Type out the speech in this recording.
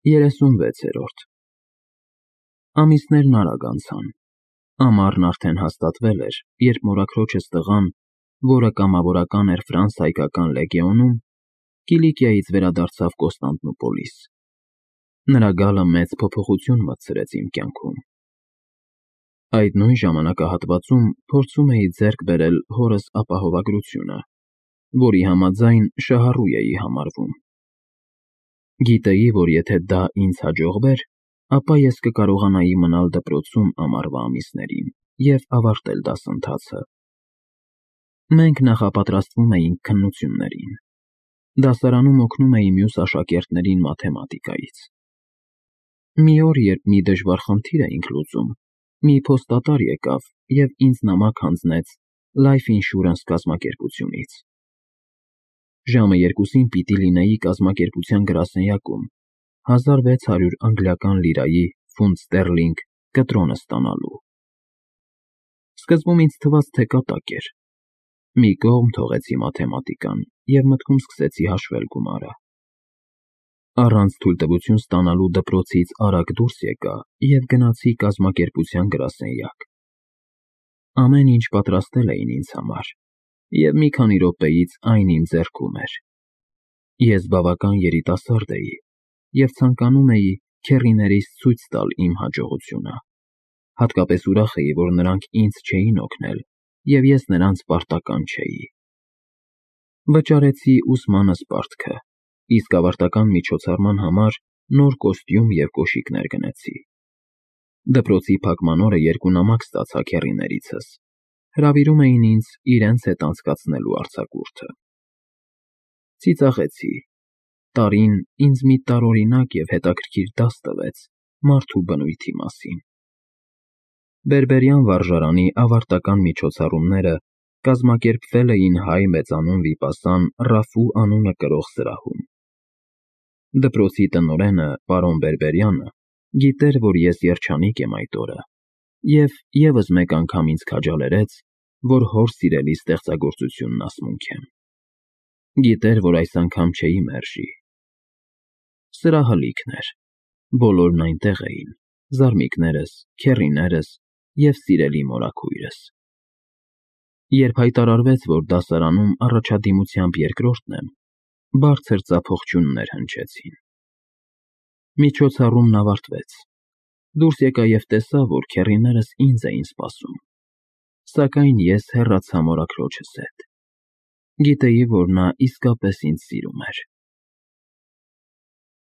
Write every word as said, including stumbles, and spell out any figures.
երեսունվեցերորդ Ամիսներն արագ անցան, ամառն արդեն հաստատվել էր, երբ մորաքրոջս տղան, որը կամավորական էր Ֆրանս հայկական լեգեոնում, Կիլիկիայից վերադարձավ Կոստանդնուպոլիս։ Նրա գալը մեծ փոփոխություն մտցրեց իմ կյանքում։ Այդ նույն ժամանակահատվածում փորձում էի ձեռք բերել հորս ապահովագրությունը, որի համաձայն շահառու էի համարվում։ Գիտեի, որ եթե դա ինձ հաջողվեր, ապա ես կկարողանայի մնալ դպրոցում ամառվա ամիսներին և ավարտել դասընթացը։ Մենք նախապատրաստվում էինք քննություններին։ Դասարանում օգնում էի մյուս աշակերտներին մաթեմատիկայից։ Մի օր, երբ մի դժվար խնդիր էինք լուծում, մի փոստատար եկավ և ինձ նամակ հանձնեց Life Insurance կազմակերպությունից։ Ժամը երկուսին պիտի լինեի կազմակերպության գրասենյակում հազար վեց հարյուր անգլիական լիրայի (ֆունտ ստեռլինգ) կտրոնը ստանալու։ Սկզբում ինձ թվաց, թե կատակ էր։ Մի կողմ թողեցի մաթեմատիկան և մտքում սկսեցի հաշվել գումարը։ Առանց թույլտվություն ստանալու դպրոցից արագ դուրս եկա և գնացի կազմակերպության գրասենյակ։ Ամեն ինչ պատրաստել էին ինձ համար, և մի քանի րոպեից այն իմ ձեռքում էր։ Ես բավական երիտասարդ էի և ցանկանում էի քեռիներիս ցույց տալ իմ հաջողությունը։ Հատկապես ուրախ էի, որ նրանք ինձ չէին օգնել, և ես նրանց պարտական չէի։ Վճարեցի ուսմանս պարտքը, իսկ ավարտական միջոցառման համար նոր կոստյում և կոշիկներ գնեցի։ Դպրոցի փակման օրը երկու նամակ ստացա քեռիներիցս, հրավիրում էին ինձ իրենց հետ անցկացնելու արձակուրդը։ Ծիծաղեցի։ Տարին ինձ մի տարօրինակ և հետաքրքիր դաս տվեց մարդու բնույթի մասին։ Բերբերյան վարժարանի ավարտական միջոցառումները կազմակերպվել էին հայ մեծանուն վիպասան Ռաֆու անունը կրող սրահում։ Դպրոցի տնօրենը, պարոն Բերբերյանը, գիտեր, որ ես երջանիկ եմ այդ օրը և ևս մեկ անգամ ինձ քաջալերեց, որ հոր սիրելի ստեղծագործությունն ասմունքեմ։ Գիտեր, որ այս անգամ չէի մերժի։ Սրահը լիքն էր, բոլորն այնտեղ էին՝ զարմիկներս, քեռիներս և սիրելի մորաքույրս։ Երբ հայտարարվեց, որ դասարանում առաջադիմությամբ երկրորդն եմ, բարձր ծափողջույններ հնչեցին։ Միջոցառումն ավարտվեց։ Դուրս եկա և տեսա, որ քեռիներս ինձ էին սպասում, սակայն ես հեռացա մորաքրոջս հետ։ Գիտեի, որ նա իսկապես ինձ սիրում էր։